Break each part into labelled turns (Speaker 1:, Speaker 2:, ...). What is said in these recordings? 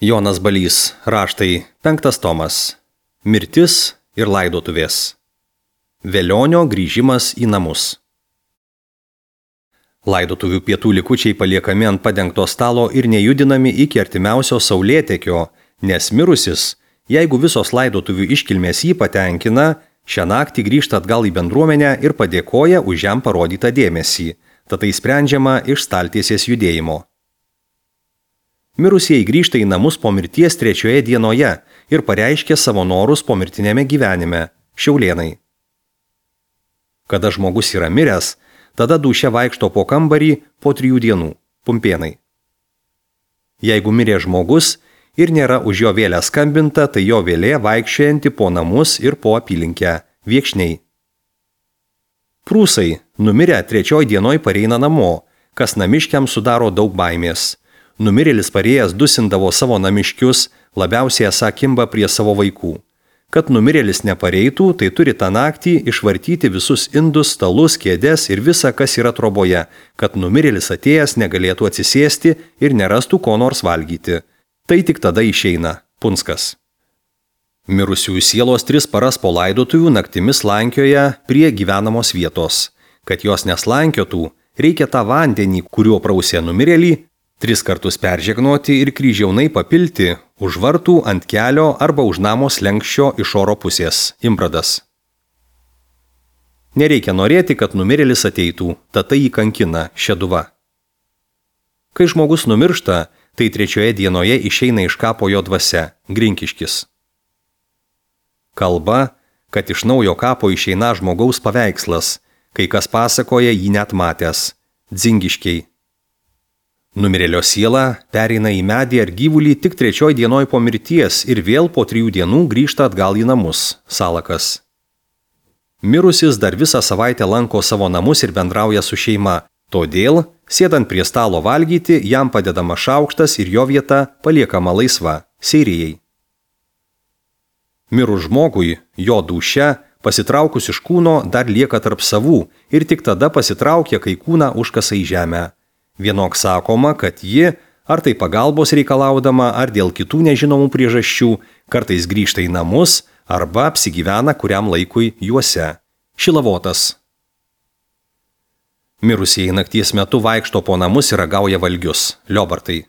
Speaker 1: Jonas Balys, raštai, 5 tomas. Mirtis ir laidotuvės. Velionio grįžimas į namus. Laidotuvių pietų likučiai paliekami ant padengto stalo ir nejudinami iki artimiausio saulėtekio, nes mirusis, jeigu visos laidotuvių iškilmės jį patenkina, šią naktį grįžta atgal į bendruomenę ir padėkoja už jam parodytą dėmesį, tad tai sprendžiama iš staltiesės judėjimo. Mirusieji grįžta į namus po mirties 3 dienoje ir pareiškia savo norus pomirtinėme gyvenime – Šiaulėnai. Kada žmogus yra miręs, tada dūšia vaikšto po kambarį po 3 dienų – Pumpėnai. Jeigu mirė žmogus ir nėra už jo vėlę skambinta, tai jo vėlė vaikščiojanti po namus ir po apylinkę – Viekšniai. Prūsai, numirę 3 dienoj pareina namo, kas namiškiams sudaro daug baimės. Numirėlis parėjęs dusindavo savo namiškius, labiausiai esą kimba prie savo vaikų. Kad numirėlis nepareitų, tai turi tą naktį išvartyti visus indus, stalus, kėdes ir visa, kas yra troboje, kad numirėlis atėjęs negalėtų atsisėsti ir nerastų ko nors valgyti. Tai tik tada išeina – Punskas. Mirusiųjų sielos 3 paras po laidotuvių naktimis lankioja prie gyvenamos vietos. Kad jos neslankiotų, reikia tą vandenį, kuriuo prausė numirėlį, 3 kartus peržegnoti ir kryžiaunai papilti už vartų, ant kelio arba už namo slenkščio iš oro pusės – Imbradas. Nereikia norėti, kad numirėlis ateitų, tad tai jį kankina – Šeduva. Kai žmogus numiršta, tai 3 dienoje išeina iš kapo jo dvasia – Grinkiškis. Kalba, kad iš naujo kapo išeina žmogaus paveikslas, kai kas pasakoja jį net matęs – Dzingiškiai. Numirėlio siela pereina į medį ar gyvulį tik 3 dienoj po mirties ir vėl po 3 dienų grįžta atgal į namus – Salakas. Mirusis dar visą savaitę lanko savo namus ir bendrauja su šeima, todėl, sėdant prie stalo valgyti, jam padedama šaukštas ir jo vieta paliekama laisva – Seirijai. Mirus žmogui, jo dūšia, pasitraukus iš kūno, dar lieka tarp savų ir tik tada pasitraukia, kai kūną užkasa į žemę. Vienok sakoma, kad ji, ar tai pagalbos reikalaudama, ar dėl kitų nežinomų priežasčių, kartais grįžta į namus arba apsigyvena kuriam laikui juose. Šilavotas. Mirusieji nakties metu vaikšto po namus ir ragauja valgius – Liobartai.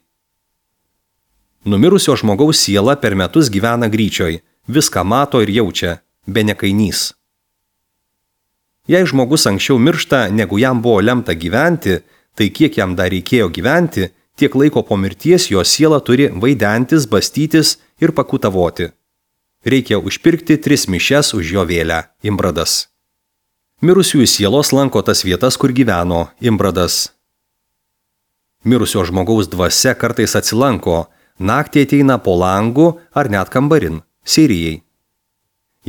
Speaker 1: Numirusio žmogaus siela per metus gyvena Gryčioj, viską mato ir jaučia – Benekainys. Jei žmogus anksčiau miršta, negu jam buvo lemta gyventi, tai kiek jam dar reikėjo gyventi, tiek laiko po mirties jo siela turi vaidentis, bastytis ir pakutavoti. Reikia užpirkti 3 mišias už jo vėlę – Imbradas. Mirusiųjų sielos lanko tas vietas, kur gyveno – Imbradas. Mirusio žmogaus dvasia kartais atsilanko, naktį ateina po langu ar net kambarin – Seirijai.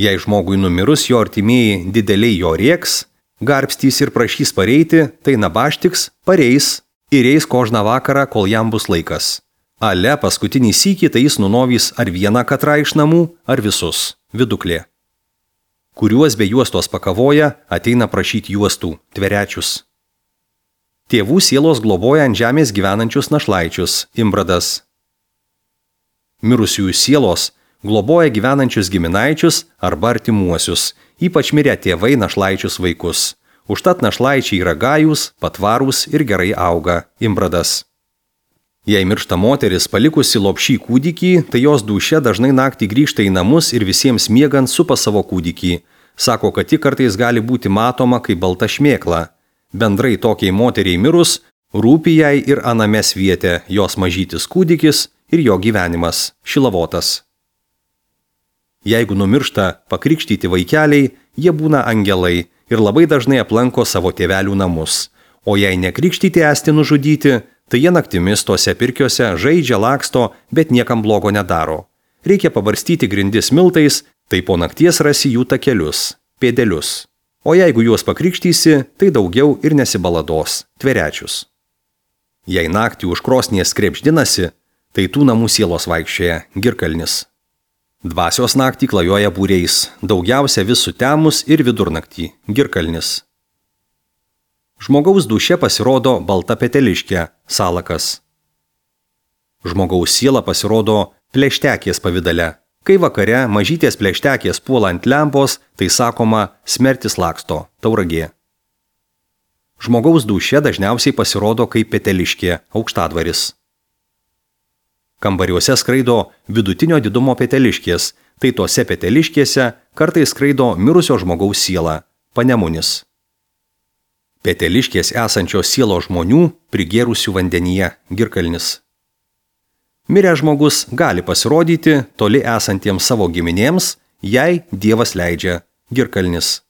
Speaker 1: Jei žmogui numirus jo artimieji dideliai jo rieks, garbstys ir prašys pareiti, tai nabaštiks, pareis ir eis kožną vakarą, kol jam bus laikas. Ale paskutinį sykį tai jis nunovys ar vieną katrą iš namų, ar visus – Viduklė. Kuriuos be juostos pakavoja, ateina prašyti juostų – Tverečius. Tėvų sielos globoja ant žemės gyvenančius našlaičius – Imbradas. Mirusiųjų sielos globoja gyvenančius giminaičius arba artimuosius, ypač mirę tėvai našlaičius vaikus. Užtat našlaičiai yra gajūs, patvarūs ir gerai auga – Imbradas. Jei miršta moteris palikusi lopšį kūdikį, tai jos dūšia dažnai naktį grįžta į namus ir visiems miegant supa savo kūdikį. Sako, kad ji kartais gali būti matoma kaip balta šmėkla. Bendrai tokiai moteriai mirus, rūpi jai ir anamės vietė jos mažytis kūdikis ir jo gyvenimas – Šilavotas. Jeigu numiršta pakrikštyti vaikeliai, jie būna angelai ir labai dažnai aplanko savo tėvelių namus. O jei nekrikštyti esti nužudyti, tai jie naktimis tose pirkiuose žaidžia, laksto, bet niekam blogo nedaro. Reikia pabarstyti grindis miltais, tai po nakties rasi jų takelius – pėdelius. O jeigu juos pakrikštysi, tai daugiau ir nesibalados – Tverečius. Jei naktį už krosnies krepždinasi, tai tų namų sielos vaikščioja – Girkalnis. Dvasios naktį klajoja būriais, daugiausia vis sutemus ir vidurnaktį – Girkalnis. Žmogaus dūšia pasirodo balta peteliškė – Salakas. Žmogaus siela pasirodo plėštekės pavydale. Kai vakare mažytės plėštekės puola ant lempos, tai sakoma smertis laksto, Tauragė. Žmogaus dūšia dažniausiai pasirodo kaip peteliškė, Aukštadvaris. Kambariuose skraido vidutinio didumo peteliškės, tai tose peteliškėse kartais skraido mirusio žmogaus siela, Panemunis. Peteliškės esančios sielos žmonių prigėrusių vandenyje, Girkalnis. Miręs žmogus gali pasirodyti toli esantiems savo giminėms, jei Dievas leidžia, Girkalnis.